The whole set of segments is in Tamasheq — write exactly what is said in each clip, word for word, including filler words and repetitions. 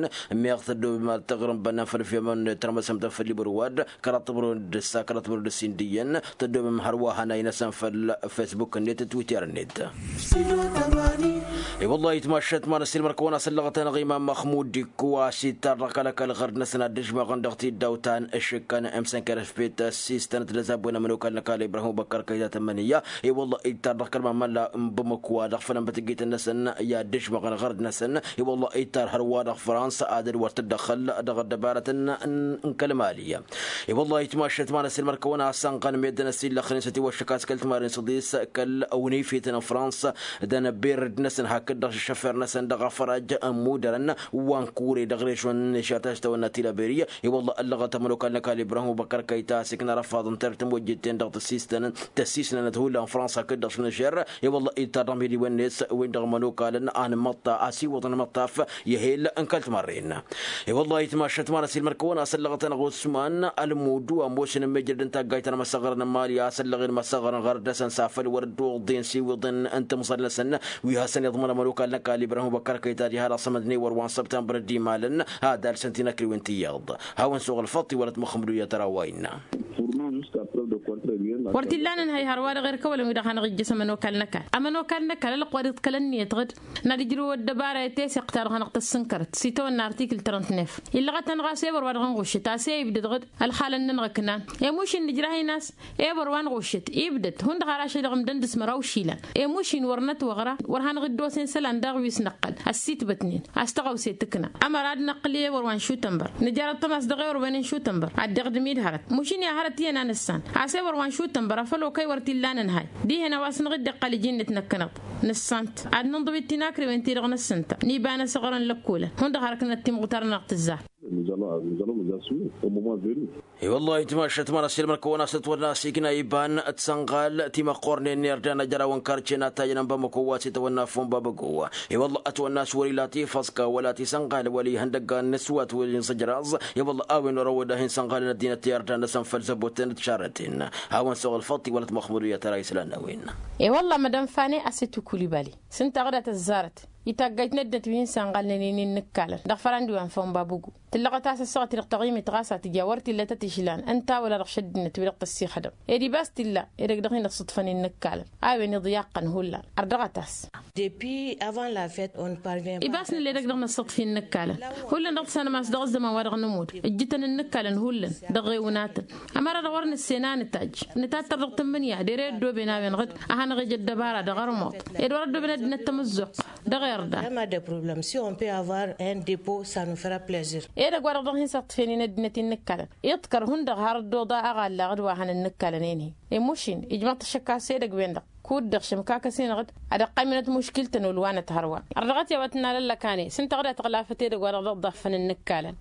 n-ălɣăr-năsăn meɣ tăddomem ad-tăɣrǝm bănnan făll-fiyămăn tărmăsăm-tăn făll-ibăr wa-dd kăraḍ tămrăwăn d-ǝssa kăraḍ tămrăwăn d-ǝssin d-iyyăn tăddomem hărwa hanay-năsăn făll-fesbuk-net d-twitter-net. I-wăllah itmašăt ma n-ăssiilmăr-kăwăn-asăn lăɣăt-anăɣ imam măxmud d-ikku a-s ittar dăɣ-kăl-ăkall ɣărd-năsăn ad-dd-ǝžmăɣăn dăɣ-tiddawt ta n-ašǝkkan m-sănkărăf pet ăssiistănăt d-ăzabwen ămănokal n-ăkall ibrahim ubăkkăr kăyta tămmănǝyya. I-wăllah ittar dăɣ-kăl-mamălla n-bamăkwa dăɣ-făll-ănbătăgget-năsăn i-ad-dd-ǝžmăɣăn ɣărd-năsăn. I-wăllah ittar hărwa dăɣ-fransa ad-dd-wăr tǝddăxăl dăɣ-ăddăbarătăn n-kăl-mali. I-wăllah itmašăt ma n-ăssiilmăr-kăwăn-asăn ɣăn meddǝn ăssiillăxnen s-ătiwăššăk a-s kăl-timarăn s-ăḍis kăl-awǝnifetăn n-fransa d-anăbber dd-năsăn hakd-dăɣ šăššăffer-năsăn dăɣ-afăraj ămmudărăn wa n-kure dăɣ-režon n-eša ta s-tawănna tilaberi. I-wălla ăllăɣăt ămănokal n-ăkall ibrahim ubăkkăr kăyta a-s ikna răfaḍăn. tărtăm wăjjătten dăɣ-tăssisnănăt hullan fransa kăt-dăɣ šunăžer. I-wălla ittarrăm hiliwen-net wen-dăɣ mănokalăn a nǝmmăṭṭa a siwăḍăn măṭṭaf i-hel n-kăl-timarren. I-wălla itmašăt ma n-asilmăr kăwăn-asăllăɣăt-anăɣ usman ălmudu ămoosăn n-mejrăd n-taggayt ta n-măsăɣăr n-mali a săllăɣen măsăɣăr n-ɣăr dăr-săn s-afăl wăr dd-oḍen siwǝḍen n-timẓal-năsăn. Wi hasăn-iḍmănăm ănokal n-ăkall ibrahim băkkăr kăy-tadi har asămădnen wăr wa n-săbtămbăr d-imalăn. Ad-alsăn tinăkriwen tiyyăḍ hawăn-suɣ ălfăṭṭ iwălăt măxmădu i-ad-tărawayna. Wăr t-illan ǝnhăy hărwa-dăɣ erk ăwălăn-wi-dăɣ hanăɣ-ijjăs ămănokal n-ăkall ămănokal n-ăkall ălwăqq wa dd-kăl-ănniyăt ɣǝd. N-ad-ǝjrǝw ăddăbara i-teseɣt-ta-dăɣ hanăɣ-tăssǝnkărăt s-itawănna artikǝl trănt-nef. Illăɣăt-anăɣ a-s ewăr wa dăɣ-ănɣuššăt a-s e-ibdăd ɣǝd ălxalăn-nănăɣ ǝknan. Emušin nǝjrah-in a-s ewăr wa ănɣuššăt ibdăd hundăɣ har ašăl dăɣ-imdăn d-asmăraw išilan. Emušin wăr nătwăɣra wăr hanăɣ-dd-osen isălan daɣ wi s-năqqăl ăssitbătnen a-s tăɣawse tǝkna. Ămăra ad-năqqǝl i-ewăr wa n-šutănbăr nǝjărăt tămas dăɣ-ewăr wen n-šutănbăr ad-dd-iɣdǝm-dd hărăt mušin i-ad-hărăt iyyăn a nǝssan. A-s ewăr wa n-šutănbăr afăl okăy wăr t-illa nǝnhay dihen a-wa s-năɣ-dd-iqqal iji-net năkkăneḍ. Nǝssan-t ad-nǝnḍǝw d-tinakriwen-ti-dăɣ n-ǝssǝnta n-iba n-asăɣrăn lăkkolăn hundăɣ harăknăt timɣutar-nănăɣ tǝzzar. I-wăllah itmašăt ma n-asilmăr kăwăn-asăt wăr n-asikna iba n-tisănɣal timăqqornen n-irdan ajăraw n-karce n-atajăn n-bamăko wa s-itawănna fon babăgo. I-wăllah ătwănna a-s wăr-ila tifăẓka wăla tisănɣal wăla ihăndăggan n-aswat wăla inẓǝjraẓ. I-wăllah a-wen orăwăd-ahi n-sănɣalăn ăddinăt i-irdan n-asănfăl zăbotăn d-tišarrăten. Hawăn-suɣ ălfăṭṭ iwălăt măxmădu i-ad-tăra islan n-a-wen. I-wăllah mădăm fane a-s itwǝkulibali s-ǝnta ɣǝdat ăzzarăt. Itaggayt n-ăddinăt wi hin-sănɣalnen-in innǝkkalăn dăɣ-fărandi wa n-făw n-babugu. Tǝllăɣăt a-s ăssaɣăt-i-dăɣ taɣimit ɣas a tǝja wăr t-illa tăt-išlan ǝnta wăla dăɣ-šăddinăt wi-dăɣ tăssixădăm. Ed ibas t-illa edăgg-dăɣ hin-dd-sǝḍfăn innǝkkalăn a-wen iḍyaqqăn hullan ărdăɣăt-as. Ibas nǝll'-edăgg dăɣ-năssăḍf innǝkkalăn hullan dăɣ-tǝssanăm a-s dăɣ-ăzzăman wa dăɣ-nămud ǝjjǝtăn innǝkkalăn hullan dăɣ-ɣewǝnatăn. Ămăra-dăɣ wăr nǝssen a nǝtajj nǝtattăr dăɣ-tǝmmǝnǝya d-ere ăddooben a-wen ɣǝd a hanăɣ-ija ăddăbara dăɣ-ărmuḍ ed wăr-ăddooben ăddinăt tamǝzzuɣt. Dăɣ-irda. Vraiment des problèmes si on peut avoir un dépôt ça nous fera plaisir. Edăgg wa dăɣ-dăɣ hin-săḍfenin ăddinăt innǝkkalăn iḍkăr hundăɣ har ăddoḍa aɣallaɣ d-wa hanănnǝkkalăn enhi. Emušin ijmăḍ-t ašăkkas edăgg-wen-dăɣ kud-dăɣ šămkakăs-in-dăɣ ad-ăqqaymǝnăt muškil-tăn olwanăt hărwa. Ărdăɣăt i-a-wa tǝnnalăllăk-ane s-ǝnta ɣǝdat ɣǝlafăt edăgg wa dăɣ-dăɣ ḍaffăn ǝnnǝkkalăn.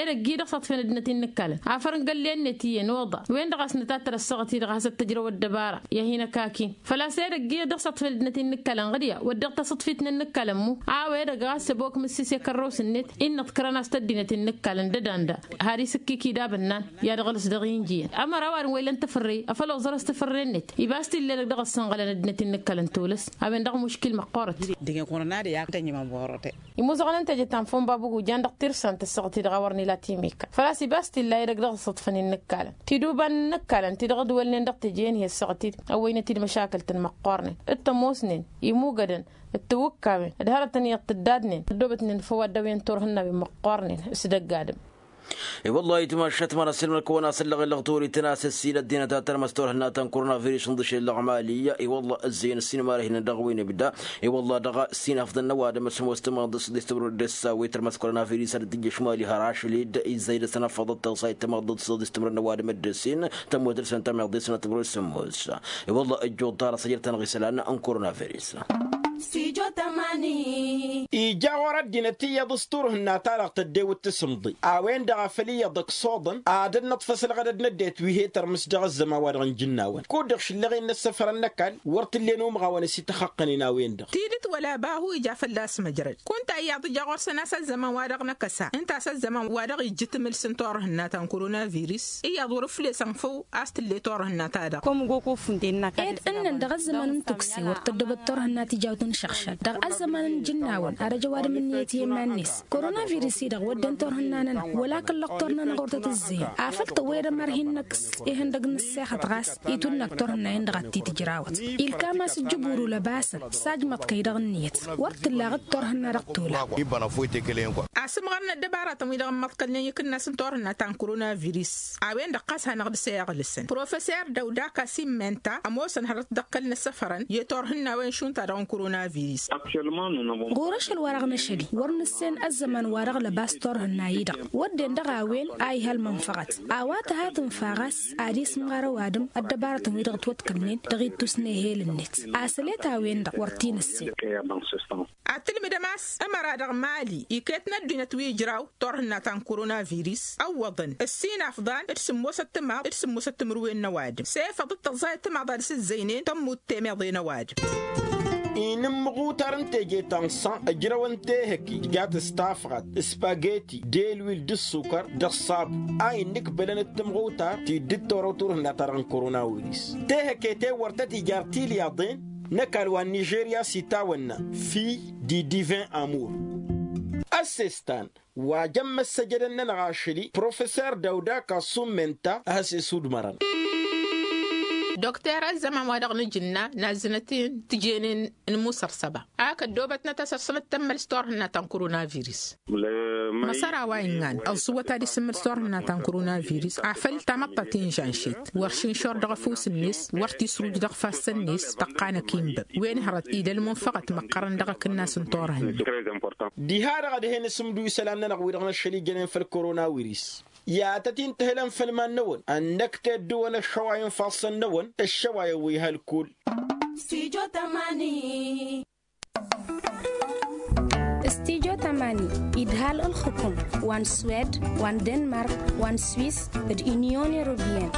Edăgg-i-dăɣ s-aḍfăn ăddinăt innǝkkalăn afăr n-găllen-net iyyăn oḍa wen-dăɣ a-s nǝtattăr ăssaɣăt-i-dăɣ a hasăt-tǝjrăw ăddăbara i-ad-hin-ăkakin. Făl-a-s edăgg-i-dăɣ s-aḍfăn ăddinăt innǝkkalăn ɣǝd ya wădden tasǝḍfit n-innǝkkalăn mu a-wa edăgg ɣas ăbok mǝssǝse kărrăwsǝn-net innă ǝḍkărăn a-s tăddinăt innǝkkalăn d-ădanda har isǝkkiki d-abǝnnan. I-ad-ăɣlǝs dăɣ-injǝyăn ămăra a-wa dăɣ-n wa ilăn tafărre afăl oẓărăs tafărre-net ibas t-illa edăgg dăɣ-ăssănɣălăn ăddinăt innǝkkalăn tolăs. A-wen-dăɣ muškil măqqoorăt. Dăɣ-i-n kăwăn-ad-iyyăk tănjǝmăn borăte. Imuzăɣăn n-teje ta n-făw n-babugu jan dăɣ-tirsant ăssaɣăt-i-dăɣ a wăr n-ila timikka făl-a-s ibas t-illa edăgg dăɣ-ăṣṣăḍfăn innǝkkalăn tiduba n-innǝkkalăn ti-dăɣ dd-wălnen dăɣ-teje-en hi-ăssaɣăt-dd ăwwăynăt-dd măšakăl-tăn măqqoornen d-tămoosnen imuggădăn d-tiwǝkkawen d-hărătăn iyyăḍ tǝddadnen ăddoobătnen făw ad-dăw-en turhǝnnawen măqqoornen s-dăgg-adǝm. I-wăllah itmašăt ma n-ăssiilmăd-kăwăn-asăllăɣ-in lăɣ torităn a-s ǝssin ăddinăt ad-tărmăs turhǝnna ta n-koronavirus n-dăšel lăɣmali. I-wăllah ǝzzeyăn ǝssin mara hinăn dăɣ-wen ibda. I-wăllah dăɣ-ǝssin afḍăn n-ăwadǝm s-ămoos tămaḍt s-dd-istămrăd d-ăssawe tărmăs koronavirus ad-dd-tǝjjăš mali har ašăl-dd izzăy dăɣ-săn afăḍăt tăɣsayt tămaḍt s-dd-istămrăd n-ăwadǝm dd-ǝssin. Tămoos dăr-săn tămaḍt s-dd-istămrăd d-sămoos. I-wăllah ǝjjuḍ ḍarăt s-ajrăt-anăɣ isălan n-koronavirus. Ija ɣur-ăddinăt iyyăḍ s-turhǝnna-ta-dăɣ tăddewăt tasǝmḍe a-wen-dăɣ a făl iyyăḍ ăksuḍăn ad-ănnăṭṭfăs ălɣădăd n-ăddinăt wi he-tărmǝs dăɣ-ăzzăman-wa-dăɣ n-ijǝnnawăn kud-dăɣ šǝllăɣ-in n-ăssăfărăn n-ăkall. Wăr t-ǝllen umɣawăn ăsităxăqqănen a-wen-dăɣ. Tidǝt wăla bahu ija fălla-s măjrăd kunta iyyăḍ ija ɣur-săn a-s ăzzăman-wa-dăɣ n-akăsa ǝnta a-s ăzzăman-wa-dăɣ ijjǝtmǝl s-n-turhǝnna ta n-koronavirus. Iyyăḍ wăr-ǝflesăn făw a-s tǝlle turhǝnna-ta-dăɣ. Ed ǝnnăn dăɣ-ăzzăman n-tukse wăr tăddobăt turhǝnna tijawt n-išăɣšad dăɣ-ăzzăman n-ijǝnnawăn ar ăj ăwadǝm ǝnniyăt i-iman-net. Koronavirus-i-dăɣ wădden turhǝnna-nănăɣ wăla kăl-lăqtor-nănăɣ wăr tăt-ǝzzeyăn afăl tăwwăyăd ămăr hin-năkkǝs ihăndăg n-ǝssexăt ɣas. Itwǝnnag turhǝnna-en-dăɣ ad-t-tǝjrawăt ilkam a-s ǝjjǝbur ulăbasăn. S-ajmăḍ-kăy dăɣ-ǝnniyăt wăr t-tǝllaɣ d-turhǝnna dăɣ-tolăɣ. Asǝmɣăr n-ăddăbaratăn-wi-dăɣ ămmăḍkălnen ikǝnnas n-turhǝnna ta n-koronavirus. A-wen-dăɣ ɣas hanăɣ-dăɣ-s eɣlǝsăn professer dăw-daka s-immenta ămoosăn hărăt dăɣ-kăl-năsăfărăn i-turhǝnna a-wen šund ta dăɣ-n korona. Ɣur-ašăl wa-dăɣ n-ašăl-i wăr nǝssen ăzzăman wa dăɣ-lăbas turhǝnna-i-dăɣ wădden dăɣ-a-wen a ihăl mănfăɣăt. A-wa tăha tǝnfa ɣas ad-isǝmɣar ăwadǝm ăddăbarătăn-wi-dăɣ ătwăḍkălnen dăɣ-ittus n-ehel-net. Asălet a-wen-dăɣ wăr t-in-ǝssen. Ad-tǝlmǝdăm a-s ămăra dăɣ-mali iket n-ăddinăt wi ǝjraw turhǝnna ta n-koronavirus ăwwăḍăn ǝssin afḍan d-sǝmmosăt timaḍ d-sǝmmosăt timǝrwen n-ăwadǝm s-efăḍ d-tăẓẓayăt timaḍ ad-sǝzzăynen tămmut temeḍe n-ăwadǝm. Inǝmmăɣutar n-teje ta n-san ǝjrăwăn tehăke tǝjat s-tafɣat spaghetti d-elwil d-ǝssukăr d-ăṣṣabu a innǝkbălăn d-tǝmɣutar ti dd-torăw turhǝnna-ta-dăɣ n-koronavirus. Tehăke-ten wăr tăt-ija ar tilyaḍen n-ăkall wa n-nižerya s-itawănna fi di divin amur. Ăssestan wa jăn măssăjădăn-nănăɣ ašăl-i professor dawda kassum menta a has-isudmărăn. Dokter ăzzăman wa dăɣ-nǝjǝnna n-azzǝnăt-in tǝjenen n-musărsăba ak ăddoobătnăt a-s ărsănăt tămmăl s-turhǝnna ta n-koronavirus. Măsăra wa innăn ăẓẓǝwăt ad-isǝmmǝl s-turhǝnna ta n-koronavirus afăl tamăḍt ta tinžanšet wăr šinšor dăɣ-ăfuss-net wăr t-isruj dăɣ-ifassăn-net tăqqanăk inbăb wen hărăt idăl munfăɣăt măqqărăn dăɣ-akǝnnas n-turhǝnna. Diha-dăɣ ad-hen-asǝmdu isălan-nănăɣ wi-dăɣ n-ašăl-i jănen făll-koronavirus. I-ad-tăt-in-tǝhǝlăn făll-iman-năwăn ănnăk teddǝwăn ăššăwayăn ifassăn-năwăn ăššăwayăn wi hălkull. Stijo tamani idhal ǝlxǝkum wa n-swed wa n-denmark wa n-swis d-inyon europiyăn.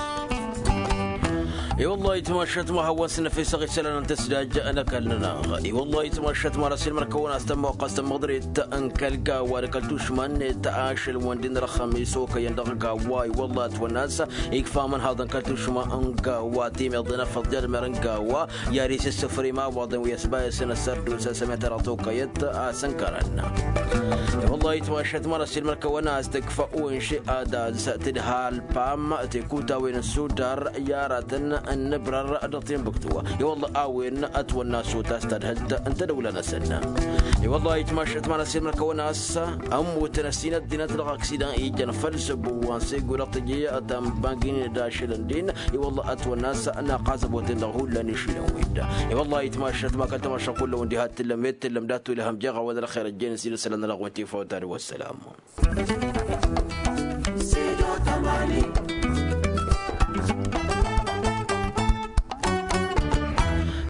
I-wăllah itmašat ma hawăn-s năfesăɣ isălan n-tăsdaj n-ăkall-nănăɣ. I-wăllah itmašat ma răsilmăr-kăwăn a-s tămmoqqas tămmăḍret n-kăl-gawa d-kăl-tušma-net ašăl-wăn d-inrăxăm isokăyăn dăɣ-gawa i-wăllah ătwănna a-s ikfa amănhaḍ n-kăl-tušma n-gawa timeḍen afăḍ d-elmer n-gawa. I-ad-isǝssǝfrem awaḍăn wi ăsbayăsăn ăssărdusa s-ămetăraḍ tokăyăt a-s ǝnkărăn. I-wăllah itmašat ma răsilmăr-kăwăn a-s tǝkfa unši ad-az tǝdhal pam tekutawen n-sudar i-aratăn n-nǝbrăr dăɣ-tinbǝktu. I-wăllah a-wen ătwănna s-utas tadhǝlt n-tedăwla-năsăn. I-wăllah itmašat ma răsilmăr-kăwăn a-s ămmutăn ăssin ăddinăt dăɣ-aksidan ijăn făll-săbbu wa n-segu dăɣ-tǝje tănbangin d-ašălăn din. I-wăllah ătwănna a-s naqazăboten dăɣ-hullan išilăn-win-dăɣ. I-wăllah itmašat ma kăl-tamašăɣ kullăn wi diha t-tǝllăm i-t-tǝllăm dat-tulăhăm jeɣ a-wen ălxer ăjjeen s-ila isălan-nănăɣ wi n-tifawt ad-wăssalam.